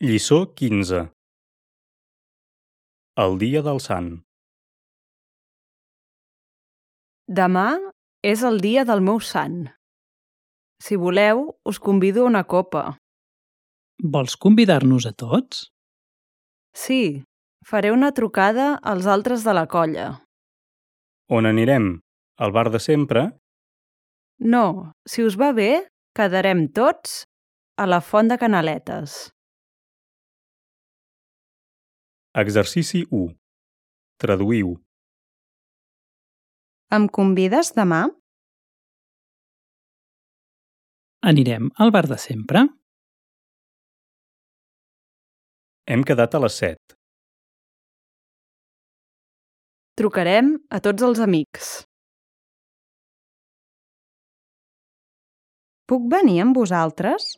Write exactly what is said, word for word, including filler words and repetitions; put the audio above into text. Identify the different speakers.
Speaker 1: Lliçó quinze. El dia del sant.
Speaker 2: Demà és el dia del meu sant. Si voleu, us convido a una copa.
Speaker 3: Vols convidar-nos a tots?
Speaker 2: Sí, faré una trucada als altres de la colla.
Speaker 1: On anirem? Al bar de sempre?
Speaker 2: No, si us va bé, quedarem tots a la Font de Canaletes.
Speaker 1: Exercici u. Traduïu.
Speaker 2: Em convides demà?
Speaker 3: Anirem al bar de sempre?
Speaker 1: Hem quedat a les set.
Speaker 2: Trucarem a tots els amics. Puc venir amb vosaltres?